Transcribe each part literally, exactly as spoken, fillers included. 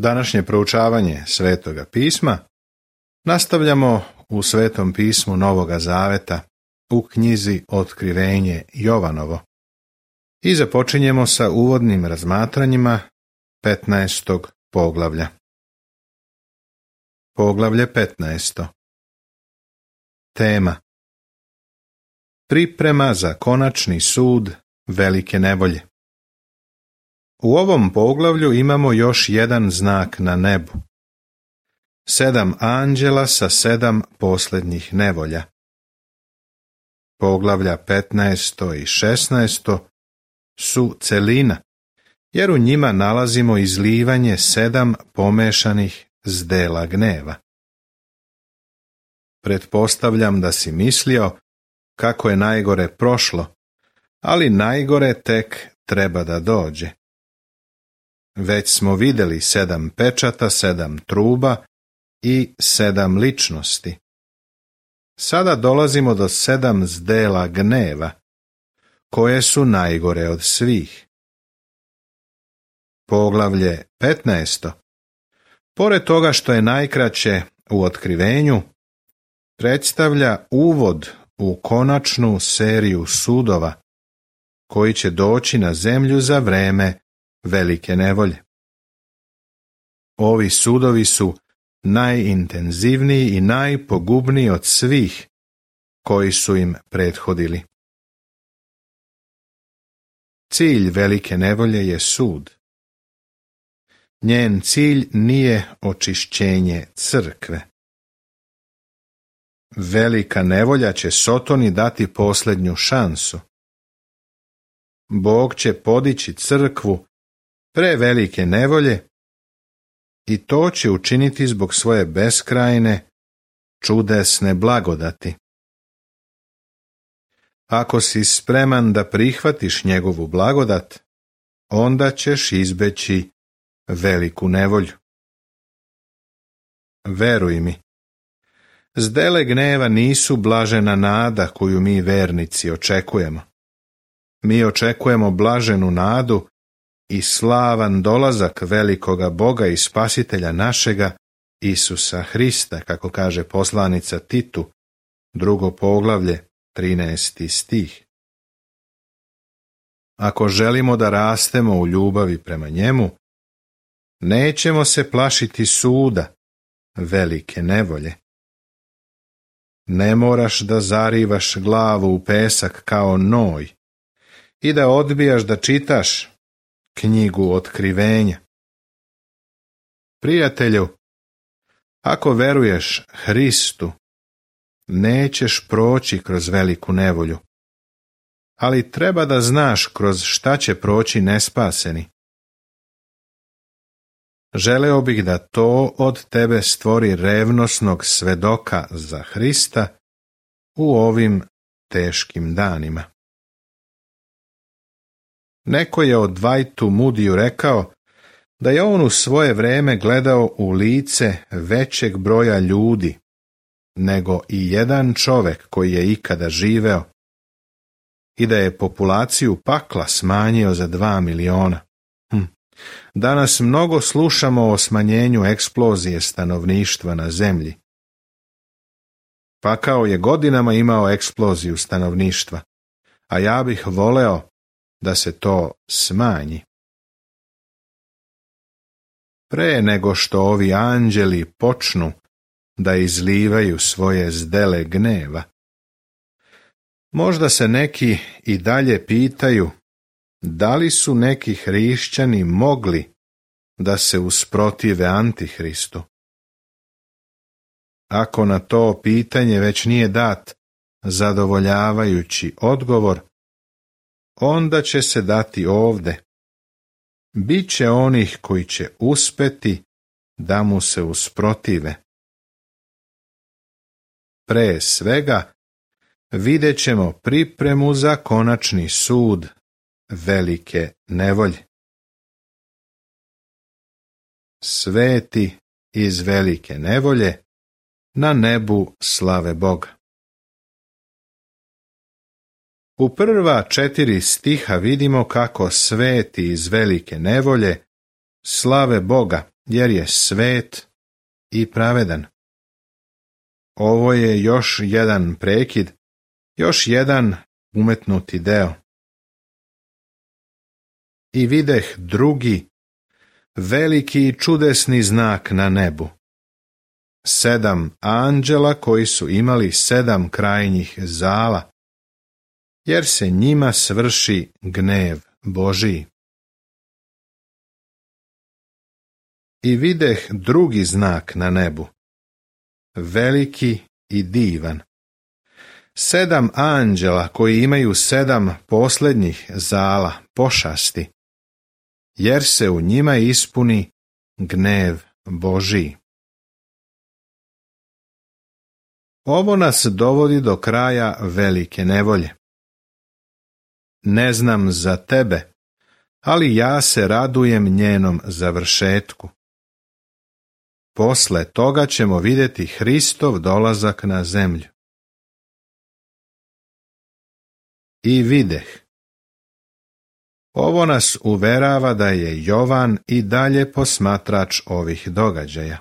Današnje proučavanje Svetoga pisma nastavljamo u Svetom pismu Novoga Zaveta u knjizi Otkrivenje Jovanovo i započinjemo sa uvodnim razmatranjima petnaestog poglavlja. Poglavlje petnaesto. Tema: Priprema za konačni sud velike nevolje. U ovom poglavlju imamo još jedan znak na nebu. Sedam anđela sa sedam posljednjih nevolja. Poglavlja petnaesto i šesnaesto su celina, jer u njima nalazimo izlivanje sedam pomešanih zdela gneva. Pretpostavljam da si mislio kako je najgore prošlo, ali najgore tek treba da dođe. Već smo vidjeli sedam pečata, sedam truba i sedam ličnosti. Sada dolazimo do sedam zdela gneva, koje su najgore od svih. Poglavlje petnaesto, pored toga što je najkraće u otkrivenju, predstavlja uvod u konačnu seriju sudova koji će doći na zemlju za vreme velike nevolje. Ovi sudovi su najintenzivniji i najpogubniji od svih koji su im prethodili. Cilj velike nevolje je sud. Njen cilj nije očišćenje crkve. Velika nevolja će Sotoni dati posljednju šansu. Bog će podići crkvu pre velike nevolje i to će učiniti zbog svoje beskrajne, čudesne blagodati. Ako si spreman da prihvatiš njegovu blagodat, onda ćeš izbeći veliku nevolju. Veruj mi, zdele gneva nisu blažena nada koju mi vernici očekujemo. Mi očekujemo blaženu nadu i slavan dolazak velikoga Boga i Spasitelja našega, Isusa Hrista, kako kaže poslanica Titu, drugo poglavlje, trinaesti stih. Ako želimo da rastemo u ljubavi prema njemu, nećemo se plašiti suda, velike nevolje. Ne moraš da zarivaš glavu u pesak kao Noj i da odbijaš da čitaš knjigu Otkrivenja. Prijatelju, ako veruješ Hristu, nećeš proći kroz veliku nevolju, ali treba da znaš kroz šta će proći nespaseni. Želeo bih da to od tebe stvori revnosnog svedoka za Hrista u ovim teškim danima. Neko je o Dwightu Moodyu rekao da je on u svoje vreme gledao u lice većeg broja ljudi nego i jedan čovek koji je ikada živeo i da je populaciju pakla smanjio za dva miliona. Hm. Danas mnogo slušamo o smanjenju eksplozije stanovništva na zemlji. Pakao je godinama imao eksploziju stanovništva, a ja bih voleo da se to smanji. Pre nego što ovi anđeli počnu da izlivaju svoje zdele gneva, možda se neki i dalje pitaju da li su neki hrišćani mogli da se usprotive Antihristu. Ako na to pitanje već nije dat zadovoljavajući odgovor, onda će se dati ovde. Biće onih koji će uspeti da mu se usprotive. Pre svega, vidjet ćemo pripremu za konačni sud velike nevolje. Sveti iz velike nevolje na nebu slave Boga. U prva četiri stiha vidimo kako sveti iz velike nevolje slave Boga jer je svet i pravedan. Ovo je još jedan prekid, još jedan umetnuti deo. I videh drugi, veliki i čudesni znak na nebu. Sedam anđela koji su imali sedam krajnjih zala, jer se njima svrši gnev Božiji. I videh drugi znak na nebu, veliki i divan. Sedam anđela koji imaju sedam posljednjih zala pošasti, jer se u njima ispuni gnev Božiji. Ovo nas dovodi do kraja velike nevolje. Ne znam za tebe, ali ja se radujem njenom završetku. Posle toga ćemo vidjeti Hristov dolazak na zemlju. I videh. Ovo nas uverava da je Jovan i dalje posmatrač ovih događaja.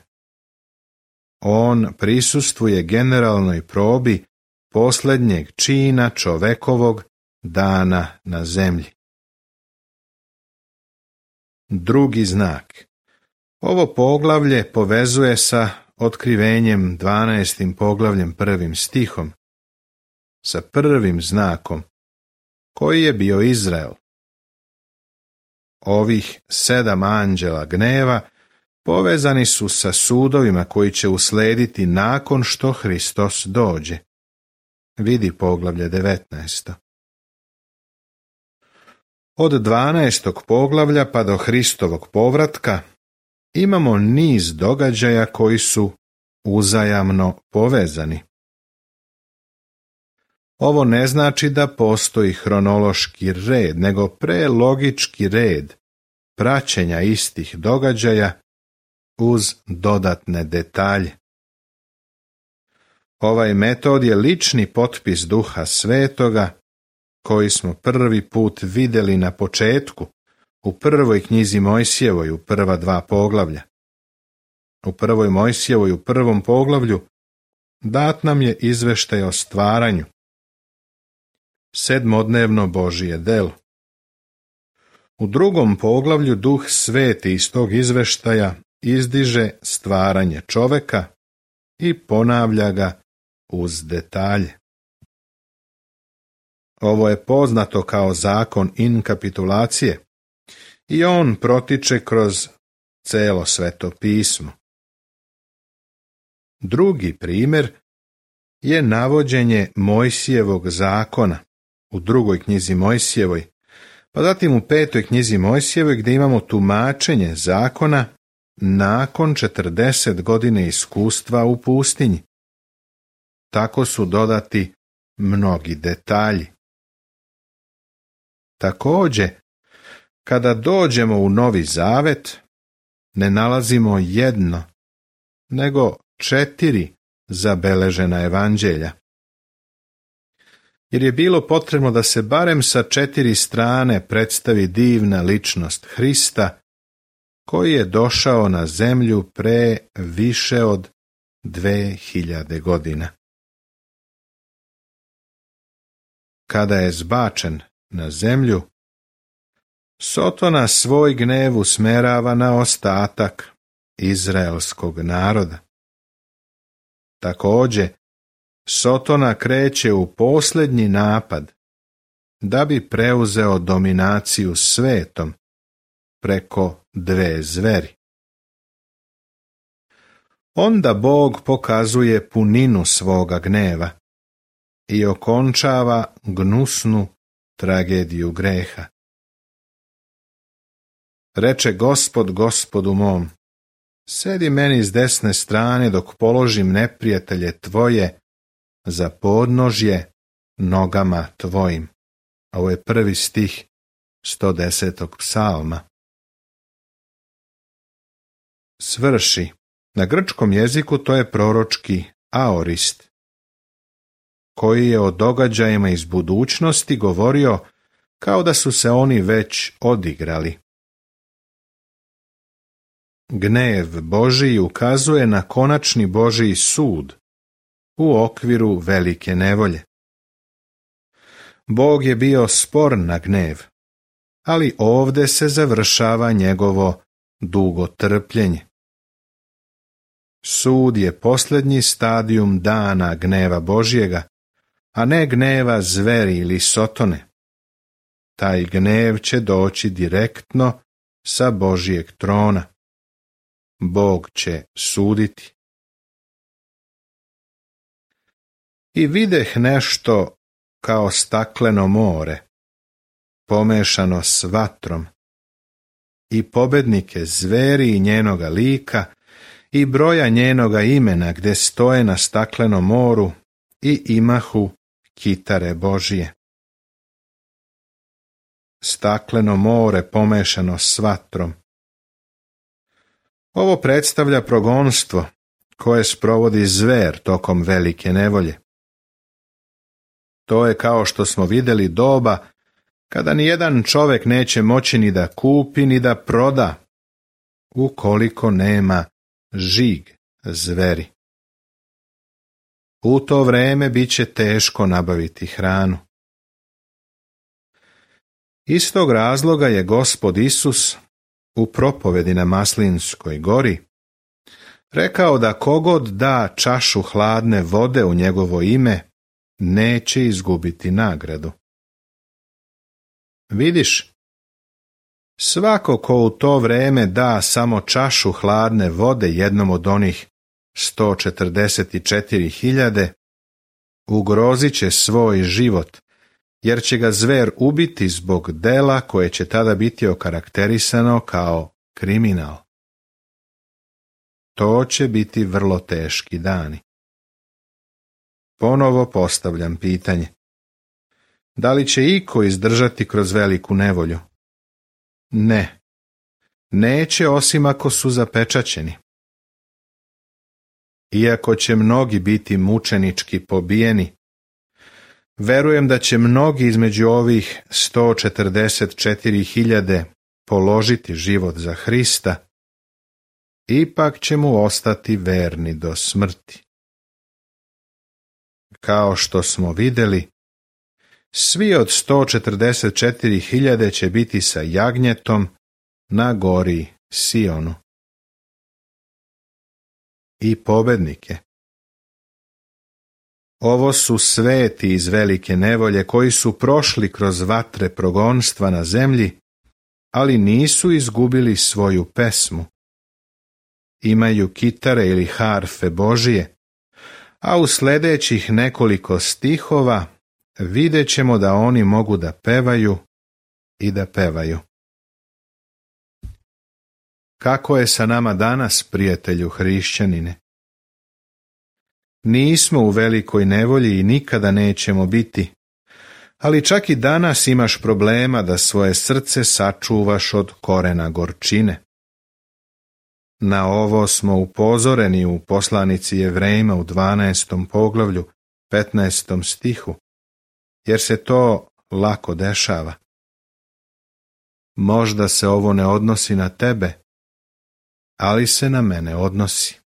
On prisustvuje generalnoj probi posljednjeg čina čovekovog dana na zemlji. Drugi znak. Ovo poglavlje povezuje sa otkrivenjem dvanaestim poglavljem prvim stihom, sa prvim znakom, koji je bio Izrael. Ovih sedam anđela gneva povezani su sa sudovima koji će uslediti nakon što Hristos dođe. Vidi poglavlje devetnaesto. Od dvanaestog poglavlja pa do Hristovog povratka imamo niz događaja koji su uzajamno povezani. Ovo ne znači da postoji hronološki red, nego prelogički red praćenja istih događaja uz dodatne detalje. Ovaj metod je lični potpis Duha Svetoga, koji smo prvi put vidjeli na početku, u prvoj knjizi Mojsijevoj, u prva dva poglavlja. U prvoj Mojsijevoj, u prvom poglavlju, dat nam je izveštaj o stvaranju, sedmodnevno Božije delo. U drugom poglavlju Duh Sveti iz tog izveštaja izdiže stvaranje čoveka i ponavlja ga uz detalje. Ovo je poznato kao zakon inkapitulacije i on protiče kroz celo Sveto pismo. Drugi primjer je navođenje Mojsijevog zakona u drugoj knjizi Mojsijevoj, pa zatim u petoj knjizi Mojsijevoj gdje imamo tumačenje zakona nakon četrdeset godine iskustva u pustinji. Tako su dodati mnogi detalji. Također, kada dođemo u Novi Zavet, ne nalazimo jedno, nego četiri zabeležena evanđelja. Jer je bilo potrebno da se barem sa četiri strane predstavi divna ličnost Hrista, koji je došao na zemlju pre više od dve hiljade godina. Kada je zbačen na zemlju, Sotona svoj gnev usmerava na ostatak izraelskog naroda. Također, Sotona kreće u posljednji napad da bi preuzeo dominaciju svetom preko dve zveri. Onda Bog pokazuje puninu svoga gneva i okončava gnusnu tragediju greha. Reče Gospod Gospodu mom, sedi meni s desne strane dok položim neprijatelje tvoje za podnožje nogama tvojim. Ovo je prvi stih sto desetog psalma. Svrši. Na grčkom jeziku to je proročki aorist, koji je o događajima iz budućnosti govorio kao da su se oni već odigrali. Gnev Božiji ukazuje na konačni Božiji sud u okviru velike nevolje. Bog je bio spor na gnev, ali ovdje se završava njegovo dugo trpljenje. Sud je posljednji stadijum dana gneva Božjega, a ne gneva zveri ili sotone. Taj gnev će doći direktno sa Božjeg trona. Bog će suditi. I videh nešto kao stakleno more, pomešano s vatrom, i pobednike zveri i njenoga lika, i broja njenoga imena gde stoje na staklenom moru, i imahu kitare Božije. Stakleno more pomešano s vatrom. Ovo predstavlja progonstvo koje sprovodi zver tokom velike nevolje. To je, kao što smo vidjeli, doba kada ni jedan čovjek neće moći ni da kupi ni da proda, ukoliko nema žig zveri. U to vreme bit će teško nabaviti hranu. Iz tog razloga je Gospod Isus u propovedi na Maslinskoj gori rekao da kogod da čašu hladne vode u njegovo ime, neće izgubiti nagradu. Vidiš, svako ko u to vreme da samo čašu hladne vode jednom od onih sto četrdeset četiri hiljade, ugrozit će svoj život, jer će ga zver ubiti zbog dela koje će tada biti okarakterisano kao kriminal. To će biti vrlo teški dani. Ponovo postavljam pitanje. Da li će iko izdržati kroz veliku nevolju? Ne. Neće, osim ako su zapečaćeni. Iako će mnogi biti mučenički pobijeni, verujem da će mnogi između ovih sto četrdeset četiri hiljade položiti život za Hrista, ipak će mu ostati verni do smrti. Kao što smo vidjeli, svi od sto četrdeset četiri hiljade će biti sa jagnjetom na gori Sionu. I pobednike. Ovo su sveti iz velike nevolje koji su prošli kroz vatre progonstva na zemlji, ali nisu izgubili svoju pesmu. Imaju kitare ili harfe Božije, a u sljedećih nekoliko stihova vidjet ćemo da oni mogu da pevaju i da pevaju. Kako je sa nama danas, prijatelju hrišćanine? Nismo u velikoj nevolji i nikada nećemo biti, ali čak i danas imaš problema da svoje srce sačuvaš od korena gorčine. Na ovo smo upozoreni u poslanici Jevrejima u dvanaestom poglavlju, petnaestom stihu, jer se to lako dešava. Možda se ovo ne odnosi na tebe, ali se na mene odnosi.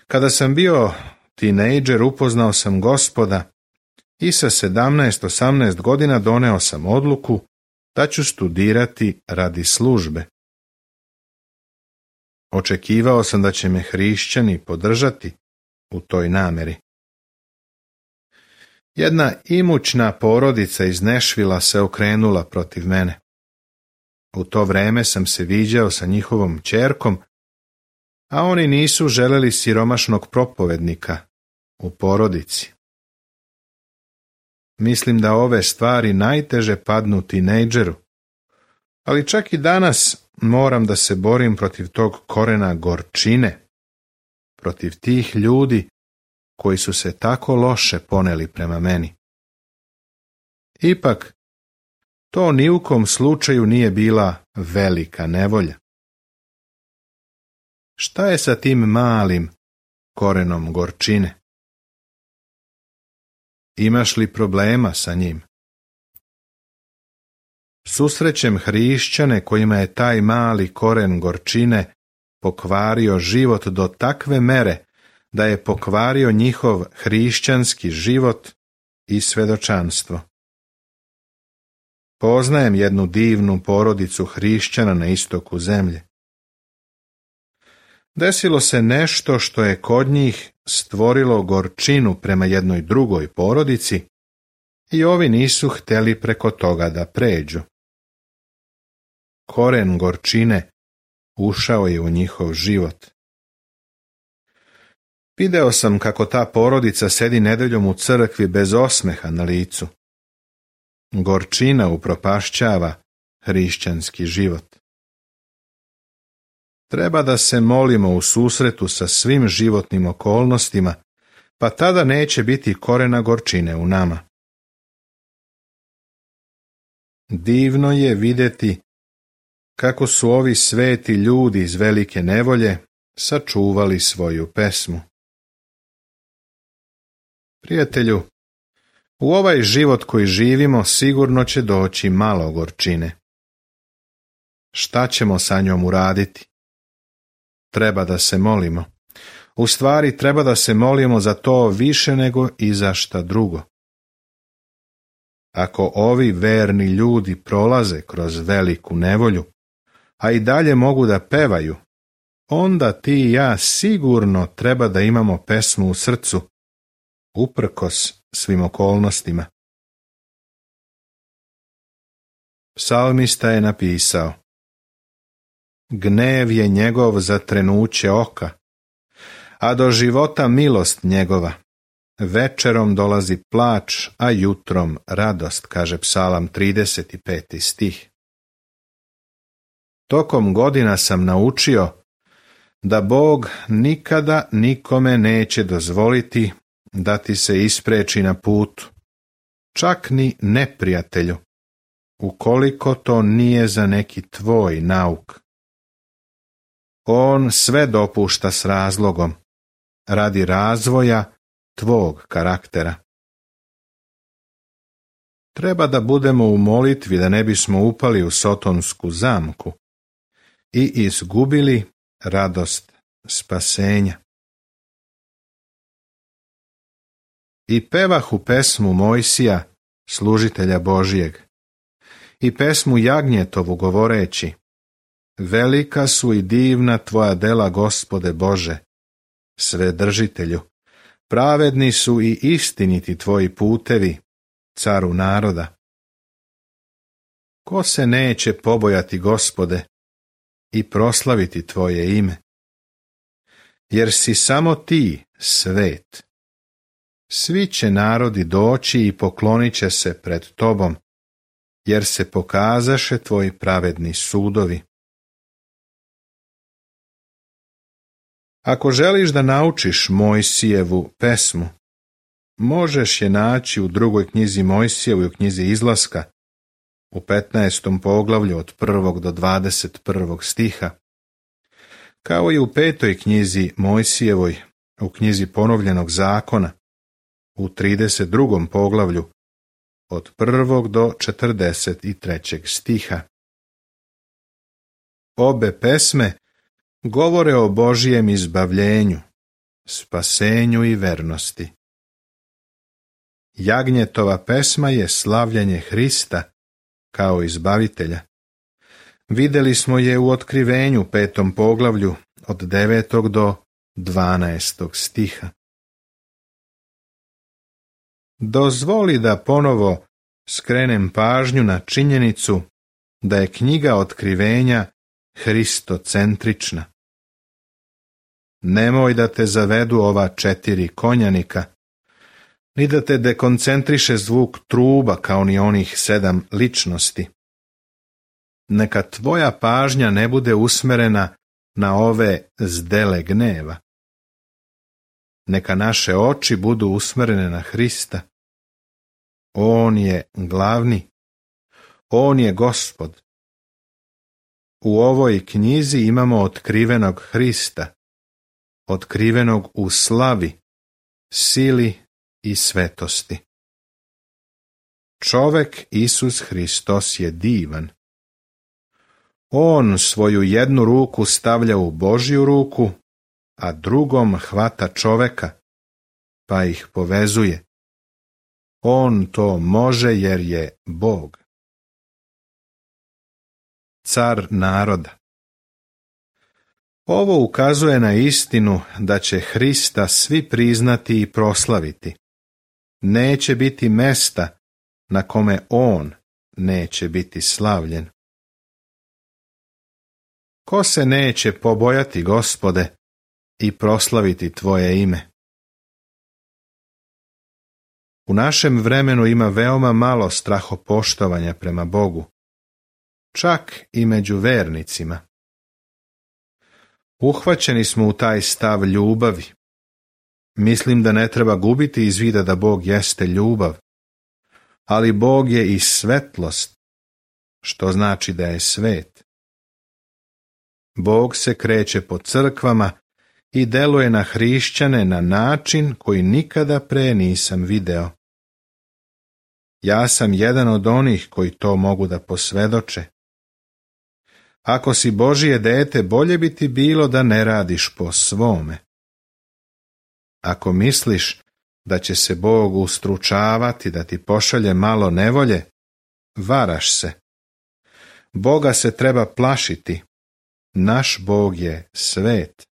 Kada sam bio tinejdžer, upoznao sam Gospoda i sa sedamnaest osamnaest godina doneo sam odluku da ću studirati radi službe. Očekivao sam da će me hrišćani podržati u toj nameri. Jedna imućna porodica iz Nešvila se okrenula protiv mene. U to vreme sam se viđao sa njihovom ćerkom, a oni nisu želeli siromašnog propovednika u porodici. Mislim da ove stvari najteže padnu tinejdžeru, ali čak i danas moram da se borim protiv tog korena gorčine, protiv tih ljudi koji su se tako loše poneli prema meni. Ipak, to ni u kom slučaju nije bila velika nevolja. Šta je sa tim malim korenom gorčine? Imaš li problema sa njim? susrećem hrišćane kojima je taj mali koren gorčine pokvario život do takve mere da je pokvario njihov hrišćanski život i svedočanstvo. Poznajem jednu divnu porodicu hrišćana na istoku zemlje. Desilo se nešto što je kod njih stvorilo gorčinu prema jednoj drugoj porodici i ovi nisu htjeli preko toga da pređu. Koren gorčine ušao je u njihov život. Video sam kako ta porodica sedi nedeljom u crkvi bez osmeha na licu. Gorčina upropašćava hrišćanski život. Treba da se molimo u susretu sa svim životnim okolnostima, pa tada neće biti korena gorčine u nama. Divno je vidjeti kako su ovi sveti ljudi iz velike nevolje sačuvali svoju pesmu. Prijatelju, u ovaj život koji živimo sigurno će doći malo gorčine. Šta ćemo sa njom uraditi? Treba da se molimo. U stvari treba da se molimo za to više nego i za šta drugo. Ako ovi verni ljudi prolaze kroz veliku nevolju, a i dalje mogu da pevaju, onda ti i ja sigurno treba da imamo pesmu u srcu, uprkos svim okolnostima. Psalmista je napisao: Gnev je njegov za trenuće oka, a do života milost njegova. Večerom dolazi plač, a jutrom radost, kaže Psalam trideset peti stih. Tokom godina sam naučio da Bog nikada nikome neće dozvoliti da ti se ispreči na putu, čak ni neprijatelju, ukoliko to nije za neki tvoj nauk. On sve dopušta s razlogom, radi razvoja tvog karaktera. Treba da budemo u molitvi da ne bismo upali u sotonsku zamku i izgubili radost spasenja. I pevahu pesmu Mojsija, služitelja Božijeg, i pesmu Jagnjetovu govoreći: Velika su i divna tvoja dela, Gospode Bože, Svedržitelju, pravedni su i istiniti tvoji putevi, caru naroda. Ko se neće pobojati, Gospode, i proslaviti tvoje ime? Jer si samo ti svet. Svi će narodi doći i poklonit će se pred tobom, jer se pokazaše tvoji pravedni sudovi. Ako želiš da naučiš Mojsijevu pesmu, možeš je naći u drugoj knjizi Mojsijevoj, u knjizi Izlaska, u petnaestom poglavlju od prvog do dvadeset prvog stiha, kao i u petoj knjizi Mojsijevoj, u knjizi Ponovljenog zakona, u trideset drugom poglavlju, od prvog do četrdeset trećeg stiha. Obe pesme govore o Božijem izbavljenju, spasenju i vernosti. Jagnjetova pesma je slavljenje Hrista kao izbavitelja. Vidjeli smo je u Otkrivenju petom poglavlju od devetog do dvanaestog stiha. Dozvoli da ponovo skrenem pažnju na činjenicu da je knjiga Otkrivenja hristocentrična. Nemoj da te zavedu ova četiri konjanika, ni da te dekoncentriše zvuk truba kao ni onih sedam ličnosti. Neka tvoja pažnja ne bude usmerena na ove zdele gneva. Neka naše oči budu usmerene na Hrista. On je glavni, on je Gospod. U ovoj knjizi imamo otkrivenog Hrista, otkrivenog u slavi, sili i svetosti. čovek Isus Hristos je divan. On svoju jednu ruku stavlja u Božju ruku, a drugom hvata čoveka, pa ih povezuje. On to može jer je Bog. Car naroda. Ovo ukazuje na istinu da će Hrista svi priznati i proslaviti. Neće biti mesta na kome on neće biti slavljen. Ko se neće pobojati, Gospode, i proslaviti tvoje ime? U našem vremenu ima veoma malo strahopoštovanja prema Bogu, čak i među vernicima. Uhvaćeni smo u taj stav ljubavi. Mislim da ne treba gubiti iz vida da Bog jeste ljubav, ali Bog je i svetlost, što znači da je svet. Bog se kreće po crkvama i deluje na hrišćane na način koji nikada pre nisam video. Ja sam jedan od onih koji to mogu da posvedoče. Ako si Božije dete, bolje bi ti bilo da ne radiš po svome. Ako misliš da će se Bog ustručavati da ti pošalje malo nevolje, varaš se. Boga se treba plašiti. Naš Bog je svet.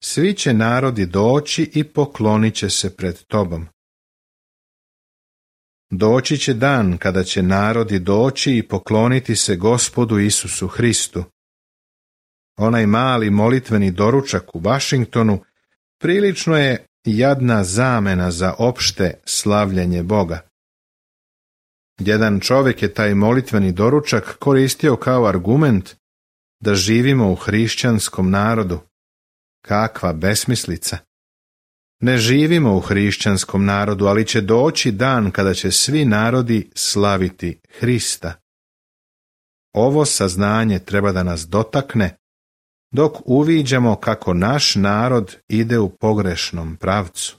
Svi će narodi doći i poklonit će se pred tobom. Doći će dan kada će narodi doći i pokloniti se Gospodu Isusu Hristu. Onaj mali molitveni doručak u Washingtonu prilično je jadna zamena za opšte slavljenje Boga. Jedan čovjek je taj molitveni doručak koristio kao argument da živimo u hrišćanskom narodu. Kakva besmislica! Ne živimo u hrišćanskom narodu, ali će doći dan kada će svi narodi slaviti Hrista. Ovo saznanje treba da nas dotakne, dok uviđamo kako naš narod ide u pogrešnom pravcu.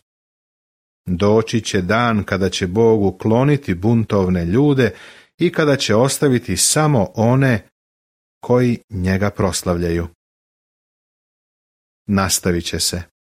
Doći će dan kada će Bog ukloniti buntovne ljude i kada će ostaviti samo one koji njega proslavljaju. Nastavit će se.